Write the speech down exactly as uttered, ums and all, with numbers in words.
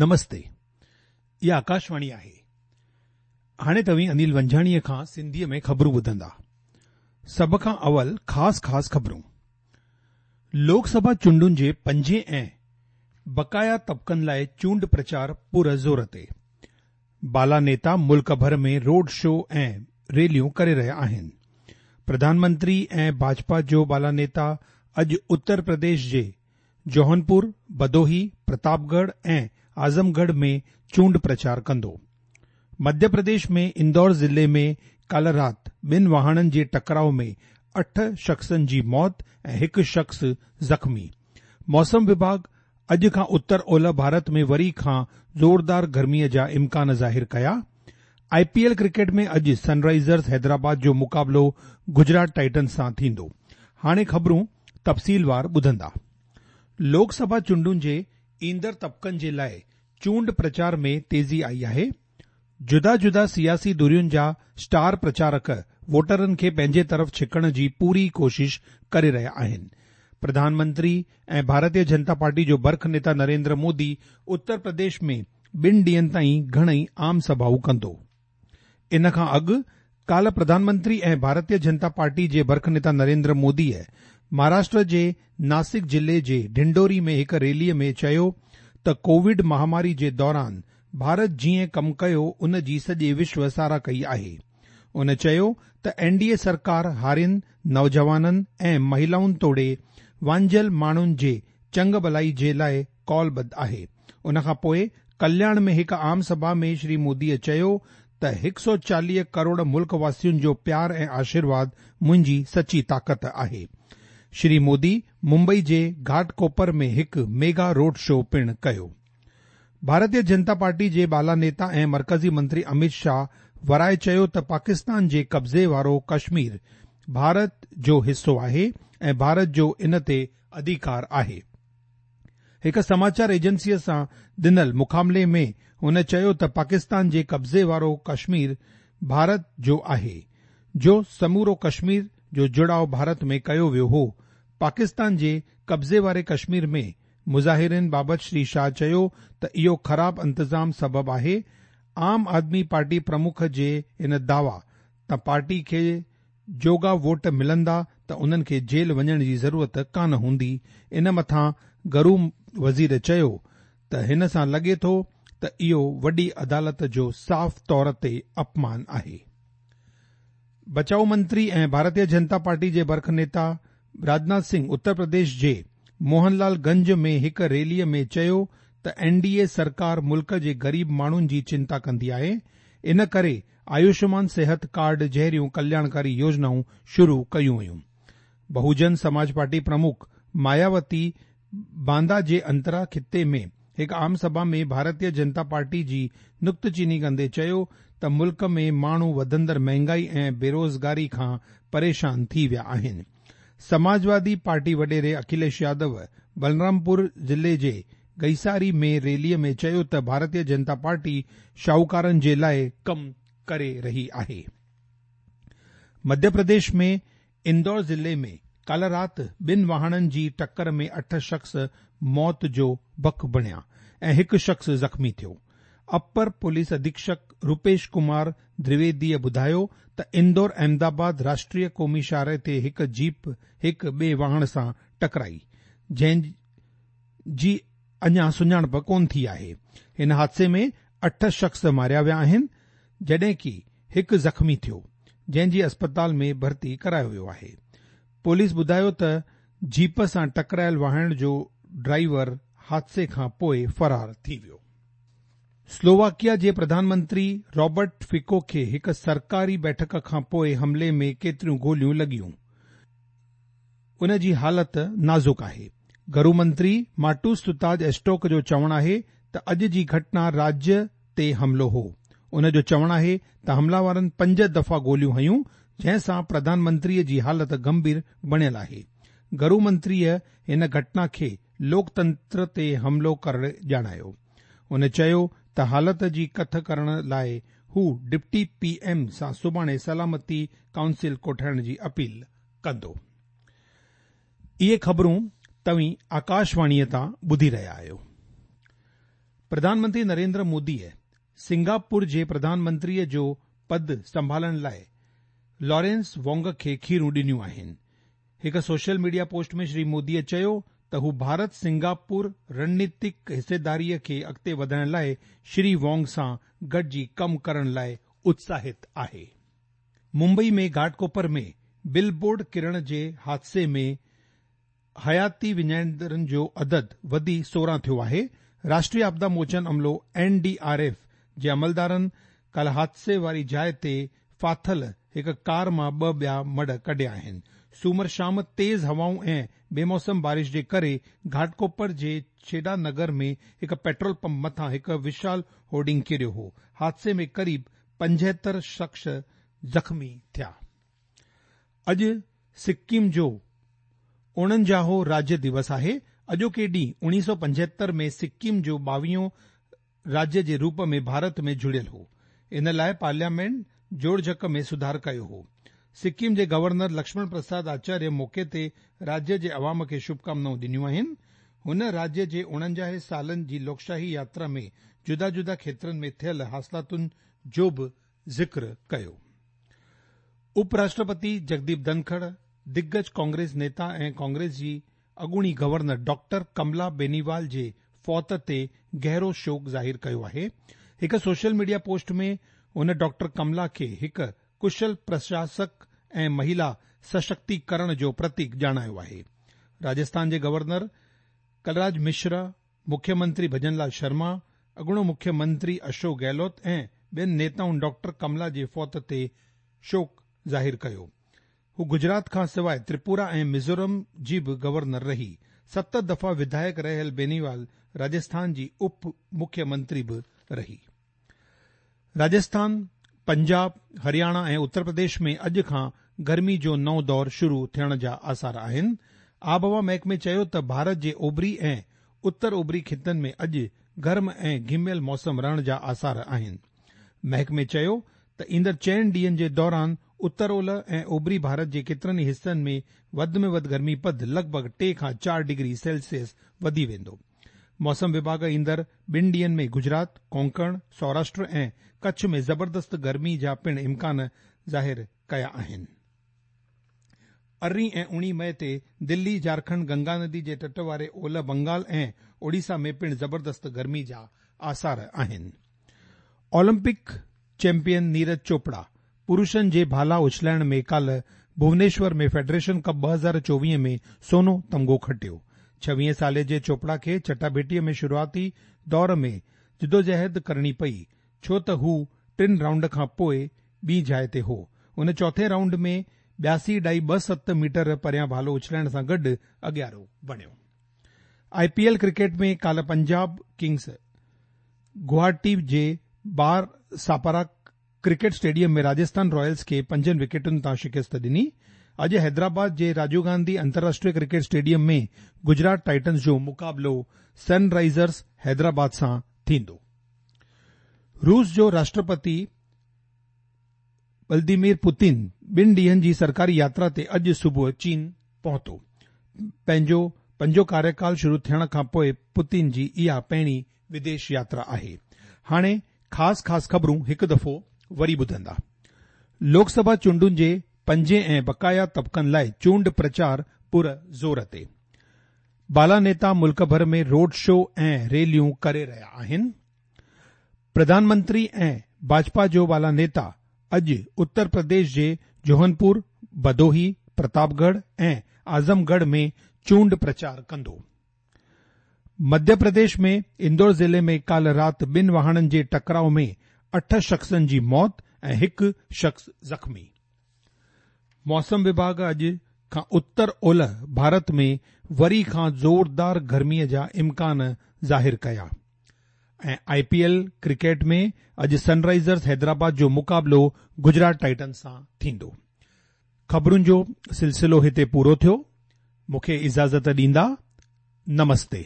نمستي، اها آڪاشواڻي آهي. هاڻي توهين انيل ونجهاڻيء کان سنڌيء ۾ خبرون ٻڌندا. سڀ کان اول خاص خاص خبرون. لوڪ سڀا چونڊن جي پنجين ۽ بقايا طبقن لاءِ چونڊ پرچار پور زور تي. بالا نيتا ملڪ ڀر ۾ روڊ شو ۽ ريليون ڪري رهيا آهن. پرڌان منتري ۽ ڀاجپا جو بالا نيتا اڄ اتر پرديش جي جوهنپور، ڀدوهي، پرتاپڳڙهه ۽ اعظم ڳڙهه ۾ چونڊ پرچار ڪندو. مڌيه پرديش ۾ اندور ضلعي ۾ ڪالهه رات ٻن واهڻن جي ٽڪراءُ ۾ اٺ شخصن جي موت ۽ هڪ شخص زخمي. موسم وڀاڳ اڄ کان اتر اولهه ڀارت ۾ وري کان زوردار گرميءَ جا امڪان ظاهر ڪيا. آءِ پي ايل ڪرڪيٽ ۾ اڄ سن رائيزرز حيدرآباد جو مقابلو گجرات ٽائٽنز سان ٿيندو. هاڻي خبرون تفصيلوار ٻڌندا. لوڪ سڀا چونڊن جي ايندڙ طبقن جي لاءِ چونڊ پرچار ۾ تيزي آئي آهي. جدا جدا سياسي ڌرين جا اسٽار پرچارڪ ووٽرن کي پنهنجي طرف ڇڪڻ جي پوري ڪوشش ڪري رهيا آهن. پرڌان منتري ۽ ڀارتيه جنتا پارٽي جو برک نيتا نريندر مودي اتر پرديش ۾ ٻن ڏينهن تائين گهڻئي عام سڀائون ڪندو. ان کان اڳ ڪالهه پرڌان منتري ۽ ڀارتيه جنتا پارٽي جي برک نيتا نريندر موديءَ مهاراشٽر جي ناسڪ ضلعي جي ڊنڊوري ۾ هڪ ريليءَ ۾ چيو ته ڪووڊ مهاماري جي دوران ڀارت جيئن ڪم ڪيو ان جي سڄي وشو ساراهه ڪئي آهي. ان چيو ته اين ڊي اي سرڪار هارين، نوجوانن ۽ مهلائن توڙي وانجهيل ماڻهن جي چڱ ڀلائي جي لاءِ قولبڌ آهي. ان کان پوءِ ڪلياڻ ۾ هڪ عام سڀا ۾ شري موديءَ چيو ته هڪ سؤ چاليهه ڪروڙ ملڪ واسين جو پيار ۽ آشيرواد منهنجي سچي طاقت آهي. شري مودي ممبئي جي گهاٽڪوپر ۾ هڪ ميگا روڊ شو پڻ ڪيو. ڀارتيه جنتا پارٽي جي بالا نيتا ۽ مرڪزي منتري امت شاهه ورائي چيو ته پاڪستان جي قبضي وارو ڪشمير ڀارت جو حصو آهي ۽ ڀارت جو ان تي اڌڪار آهي. هڪ سماچار ايجنسيءَ سان ڏنل مکاملي ۾ هن چيو ته پاڪستان جي قبضي وارو ڪشمير ڀارت جو آهي، جو سمورو ڪشمير جو جڙاءُ ڀارت ۾ ڪيو ويو هو. پاڪستان جي قبضي واري ڪشمير ۾ مظاهرين بابت شري شاهه چيو ته اهو خراب انتظام سبب آهي. عام آدمي پارٽي پرمک جي ان دعويٰ ته پارٽي کي جوڳا ووٽ ملندا ته انهن کي جيل وڃڻ جي ضرورت ڪانه هوندي. ان مٿان گهرو وزير چيو ته هن سان لڳي ٿو ته اهو وڏي عدالت جو صاف طور تي اپمان آهي. بچاءُ منتري ۽ ڀارتيه جنتا پارٽي جي برک نيتا راجناٿ سنگهه اتر پرديش جي موهن لال گنج ۾ هڪ ريليءَ ۾ چيو ته اين ڊي اي سرڪار ملڪ جي غريب ماڻهن جي چنتا ڪندي آهي، ان ڪري آيوشمان صحت ڪارڊ جهڙيون ڪلياڻڪاري يوجنائون شروع ڪيون ويون. بهوجن سماج پارٽي پرمک ماياوتي باندا جي انترا خطي ۾ هڪ عام سڀا ۾ ڀارتيه جنتا پارٽي جي نڪتچيني ڪندي چيو ته ملڪ ۾ ماڻهو وڌندڙ مهانگائي ۽ بيروزگاري کان پريشان ٿي ويا آهن. سماجوادي پارٽي وڏيري اکليش يادو بلرامپور ضلعي جي گئيساري ۾ ريليءَ ۾ چيو ته ڀارتيه جنتا پارٽي شاهوڪارن جي لاءِ ڪم ڪري رهي آهي. مڌيه پرديش ۾ اندور ضلعي ۾ ڪالهه رات ٻن واهڻن جي ٽڪر ۾ اٺ شخص موت جو بک بڻيا ۽ هڪ شخص زخمي ٿيو. اپر پوليس اڌيڪشڪ روپيش ڪمار درويديءَ ٻڌايو ته اندور احمدآباد راشٽريه قومي شاهراهه تي هڪ جيپ هڪ ٻئي واهڻ سان ٽڪرائي، جنهن جي اڃا سڃاڻپ ڪونه ٿي آهي. هن حادثي ۾ اٺ شخص ماريا ويا آهن، جڏهن ڪه هڪ زخمي ٿيو، جنهن جي اسپتال ۾ ڀرتي ڪرايو ويو آهي. پوليس ٻڌايو ته جيپ سان ٽڪرايل واهڻ جو ڊرائيور حادثي کان پوءِ فرار ٿي ويو. سلوواڪيا جي پرڌان منتري رابرٽ فڪو کي هڪ سرڪاري بيٺڪ کان پوءِ حملي ۾ ڪيتريون گوليون لڳيون، ان جي حالت نازڪ آهي. گهرو منتري ماٽوس تتاج ايسٽوڪ جو چوڻ آهي ته اڄ جي گهٽنا راجيه تي حملو هو. ان جو چوڻ آهي ته حملاورن پنج دفعا گوليون هنيون، جنهن سان پرڌان منتريءَ جي حالت گنڀير بڻيل آهي. گهرو منتريءَ هن گهٽنا کي لوڪتنتر تي حملو ڪري ڄاڻايو. هن چيو ته حالت جي ڪٿ ڪرڻ لاءِ هو ڊپٽي پي ايم سان سڀاڻي سلامتي ڪائونسل ڪوٺائڻ جي اپيل ڪندو. اهي خبرون توهين آڪاشواڻيءَ تان ٻڌي رهيا آهيو. प्रधानमंत्री नरेंद्र मोदीअ सिंगापुर जे प्रधानमंत्रीअ जो पद संभालण लाइ लॉरेंस वोंग खे खीरूं ॾिनियूं आहिनि। हिकु सोशल मीडिया पोस्ट में श्री मोदीअ चयो त हू भारत सिंगापुर रणनीतिक हिस्सेदारीअ खे अॻिते वधाइण लाइ श्री वोंग सां गॾिजी कमु करण लाइ उत्साहित आहे। मुंबई में घाटकोपर में बिल बोर्ड किरण जे हादसे में हयाती विञाईंदड़नि जो अदद वधी सोरहं थियो आहे। राष्ट्रीय आपदा मोचन अमलो एन डी आर एफ जे अमलदारनि काल्ह हादसे वारी जाइ ते फाथल हिकु कार मां ॿ ॿिया मड़ कढिया आहिनि। सूमर शाम तेज़ हवाऊं ऐं बेमौसम बारिश जे करे घाटकोपर जे छेडा नगर में हिकु पेट्रोल पंप मथां हिकु विशाल होर्डिंग किरियो हो। हादसे में क़रीब पंजहतरि शख़्स ज़ख़्मी थिया। अॼु सिक्किम जो उणंजाहो राज्य दिवस आहे। अॼोके ॾींहुं उणिवीह सौ पंजहतरि में सिक्किम जो ॿावीहों राज्य जे रूप में भारत में जुड़ियल हो। इन लाइ पार्लियामेंट जोड़जक में सुधार कयो हो। सिक्किम जे गवर्नर लक्ष्मण प्रसाद आचार्य मौक़े ते राज्य जे अवाम खे शुभकामनाऊं ॾिनियूं आहिनि। हुन राज्य जे उणंजाह सालनि जी लोकशाही यात्रा में जुदा जुदा खेत्रनि में थियल हासिलातुनि जो बि ज़िक्र कयो। उपराष्ट्रपति जगदीप धनखड़ दिग्गज कांग्रेस नेता ऐं कांग्रेस जी अॻूणी गवर्नर डॉक्टर कमला बेनीवाल जे फौत ते गहरो शोक ज़ाहिर कयो आहे। हिकु सोशल मीडिया पोस्ट में हुन डॉक्टर कमला खे हिकु कुशल प्रशासक ऐं महिला सशक्तिकरण जो प्रतीक ॼाणायो आहे। राजस्थान जे गवर्नर कलराज मिश्रा, मुख्यमंत्री भजनलाल शर्मा, अॻूणो मुख्यमंत्री अशोक गहलोत ऐं ॿियनि नेताउनि डॉक्टर कमला जे फौत ते शोक ज़ाहिर कयो। हू गुजरात खां सवाइ त्रिपुरा ऐं मिज़ोरम जी बि गवर्नर रही। सत दफ़ा विधायक रहियल बेनीवाल राजस्थान जी उप मुख्यमंत्री बि रही। राजस्थान, पंजाब, हरियाणा ऐं उत्तर प्रदेश में अॼु खां गर्मी जो नओं दौर शुरू थियण जा आसार आहिनि। आबहवा महकमे चयो त भारत जे ओभरी ऐं उत्तर ओभरी ख़ितनि में अॼु गर्म ऐं घिमियल मौसम रहण जा आसार आहिनि। महकमे चयो त ईंदड़ चइनि ॾींहंनि जे दौरान उत्तर ओलह ऐं ओभरी भारत जे केतिरनि ई हिसनि में वधि में वधि गर्मी पद लॻभॻि टे खां चारि डिग्री सेल्सियस वधी वेंदो। मौसम विभाग ईंदड़ ॿिनि ॾींहंनि में गुजरात, कोंकण, सौराष्ट्र ऐं कच्छ में ज़बरदस्त गर्मी जा पिणु इम्कान ज़ाहिर कया आहिनि। अरिड़हीं ऐं उणिवीह मई ते दिल्ली, झारखंड, गंगा नदी जे तट वारे ओलह बंगाल ऐं ओडिशा में पिणु ज़बरदस्त गर्मी जा आसार आहिनि। ओलंपिक चैंपियन नीरज चोपड़ा पुरुषनि जे भाला उछलाइण में काल्ह भुवनेश्वर में फेडरेशन कप ॿ हज़ार चोवीह में सोनो तमगो खटियो। छवीह साले जे चोपड़ा खे चटाभेटीअ में शुरूआती दौर में जिदोजहद करणी पई, छो त हू टिनि राउंड खां पोइ ॿी जाइ ते हो। उन चोथे राउंड में ॿियासी ॾाई ॿ सत मीटर परियां भालो उछलाइण सां गॾु अॻियारो बणियो। I P L cricket में काल्ह पंजाब किंग्स गुवाहाटी जे बार सापारा क्रिकेट स्टेडियम में राजस्थान रॉयल्स खे पंजनि विकेटुनि तां शिकस्त ॾिनी। अॼु हैदराबाद जे राजीव गांधी अंतर्राष्ट्रीय क्रिकेट स्टेडियम में गुजरात टाइटन्स जो मुक़ाबिलो सनराइजर्स हैदराबाद सां थींदो। रूस जो राष्ट्रपति व्लादिमीर पुतिन ॿिनि ॾींहंनि जी सरकारी यात्रा ते अॼु सुबुह चीन पहुतो। पंहिंजो पंजो कार्यकाल शुरू थियण खां पोइ पुतिन जी इहा पहिरीं विदेश यात्रा आहे। हाणे ख़ासि ख़ासि ख़बरूं हिकु दफ़ो वरी ॿुधंदा। लोकसभा चूंडुनि जे पंजे ऐं बकाया तबक़नि लाइ चूंड प्रचार पुर ज़ोर ते। बाला नेता मुल्क भर में रोड शो ऐं रैलियूं करे रहिया आहिनि। प्रधानमंत्री ऐं भाजपा जो बाला नेता अॼु उत्तर प्रदेश जे जोहनपुर, भदोही, प्रतापगढ़ ऐं आज़मगढ़ में चूंड प्रचार कंदो। मध्य प्रदेश में इंदौर ज़िले में काल्ह राति ॿिनि वाहननि जे टकराव में अठ शख़्सनि जी मौत ऐं हिकु शख़्स ज़ख़्मी। मौसम विभाग अॼु खां उत्तर ओलह भारत में वरी खां ज़ोरदार गर्मीअ जा इम्कान ज़ाहिर कया। ऐं I P L cricket में अॼु सनराइजर्स हैदराबाद जो मुक़ाबिलो गुजरात टाइटन्स सां थींदो। ख़बरुनि जो सिलसिलो हिते पूरो थियो। मूंखे इजाज़त ॾींदा। नमस्ते।